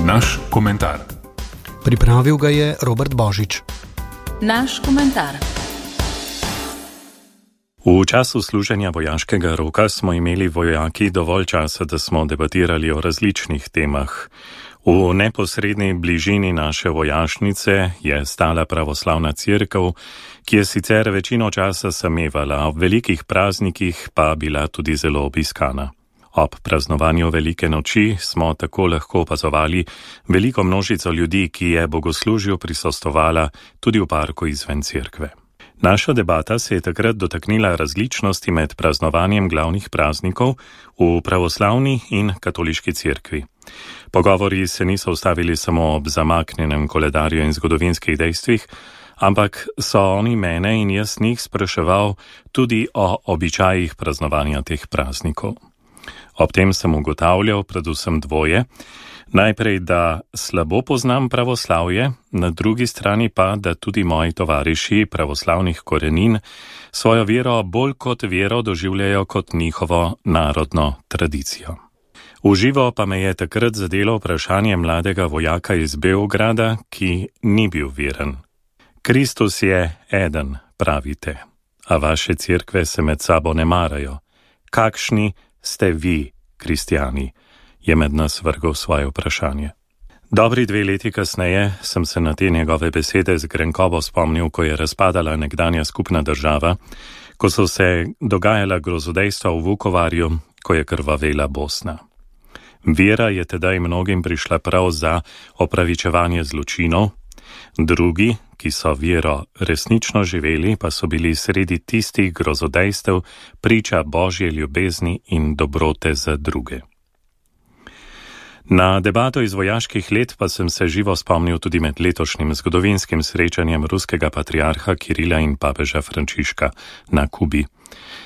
Naš komentar. Pripravil ga je Robert Božič. Naš komentar. V času služenja vojaškega roka smo imeli vojaki dovolj časa, da smo debatirali o različnih temah. V neposredni bližini naše vojašnice je stala pravoslavna cerkev, ki je sicer večino časa samevala, ob velikih praznikih pa bila tudi zelo obiskana. Ob praznovanju velike noči smo tako lahko opazovali veliko množico ljudi, ki je bogoslužju prisostvovala tudi v parku izven cerkve. Naša debata se je takrat dotaknila različnosti med praznovanjem glavnih praznikov v pravoslavni in katoliški cerkvi. Pogovori se niso ustavili samo ob zamaknjenem koledarju in zgodovinskih dejstvih, ampak so oni mene in jaz njih spraševal tudi o običajih praznovanja teh praznikov. Ob tem sem ugotavljal predvsem dvoje. Najprej, da slabo poznam pravoslavje, na drugi strani pa, da tudi moji tovariši pravoslavnih korenin svojo vero bolj kot vero doživljajo kot njihovo narodno tradicijo. V živo pa me je takrat zadelo vprašanje mladega vojaka iz Beograda, ki ni bil veren. Kristus je eden, pravite, a vaše cerkve se med sabo ne marajo. Kakšni ste vi, kristjani? Je med nas vrgel svoje vprašanje. Dobri 2 leti kasneje sem se na te njegove besede z grenkobo spomnil, ko je razpadala nekdanja skupna država, ko so se dogajala grozodejstva v Vukovarju, ko je krvavela Bosna. Vera je tedaj mnogim prišla prav za opravičevanje zločinov, drugi, ki so vero resnično živeli, pa so bili sredi tistih grozodejstev priča Božje ljubezni in dobrote za druge. Na debato iz vojaških let pa sem se živo spomnil tudi med letošnjim zgodovinskim srečanjem ruskega patriarha Kirila in papeža Frančiška na Kubi.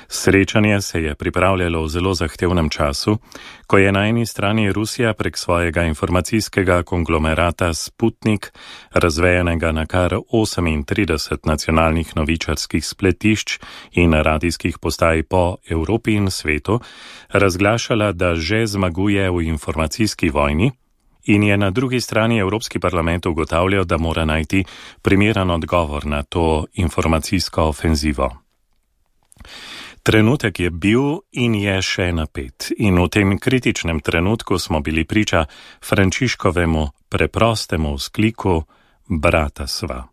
Srečanje se je pripravljalo v zelo zahtevnem času, ko je na eni strani Rusija prek svojega informacijskega konglomerata Sputnik, razvejenega na kar 38 nacionalnih novičarskih spletišč in radijskih postaj po Evropi in svetu, razglašala, da že zmaguje v informacijski vojni, in je na drugi strani Evropski parlament ugotavljal, da mora najti primeren odgovor na to informacijsko ofenzivo. Trenutek je bil in je še napet, in v tem kritičnem trenutku smo bili priča Frančiškovemu preprostemu vzkliku brata sva,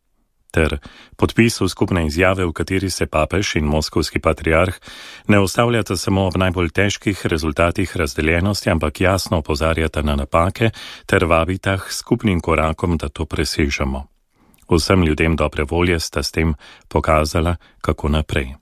ter podpisu skupne izjave, v kateri se papež in moskovski patriarh ne ustavljata samo ob najbolj težkih rezultatih razdeljenosti, ampak jasno opozarjata na napake ter vabita k skupnim korakom, da to presežemo. Vsem ljudem dobre volje sta s tem pokazala, kako naprej.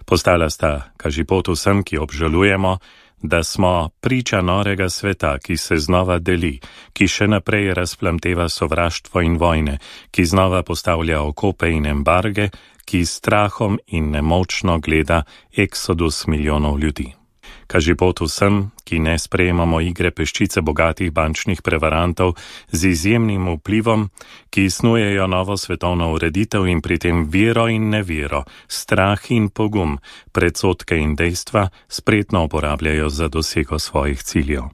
Postala sta kažipot vsem, ki obžalujemo, da smo priča norega sveta, ki se znova deli, ki še naprej razplamteva sovraštvo in vojne, ki znova postavlja okope in embarge, ki s strahom in nemočno gleda eksodus milijonov ljudi. Kažipot vsem, ki ne sprejemamo igre peščice bogatih bančnih prevarantov z izjemnim vplivom, ki snujejo novo svetovno ureditev in pri tem vero in nevero, strah in pogum, predsodke in dejstva spretno uporabljajo za dosego svojih ciljev.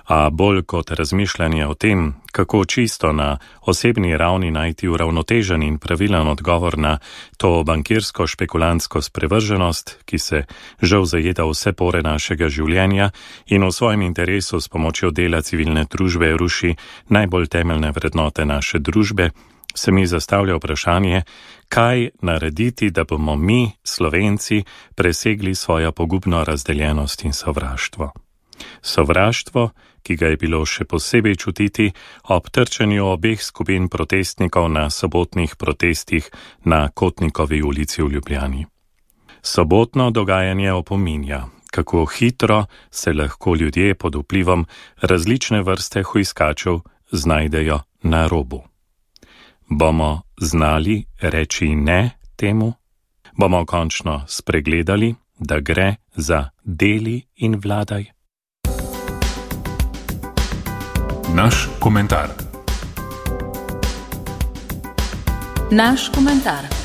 A bolj kot razmišljanje o tem, kako čisto na osebni ravni najti uravnotežen in pravilen odgovor na to bankirsko špekulantsko sprevrženost, ki se žal zajeda vse pore našega življenja in v svojem interesu s pomočjo dela civilne družbe ruši najbolj temeljne vrednote naše družbe, se mi zastavlja vprašanje, kaj narediti, da bomo mi, Slovenci, presegli svojo pogubno razdeljenost in sovraštvo. Sovraštvo, ki ga je bilo še posebej čutiti ob trčenju obeh skupin protestnikov na sobotnih protestih na Kotnikovi ulici v Ljubljani. Sobotno dogajanje opominja, kako hitro se lahko ljudje pod vplivom različne vrste hujskačev znajdejo na robu. Bomo znali reči ne temu? Bomo končno spregledali, da gre za deli in vladaj? Naš komentar. Naš komentar.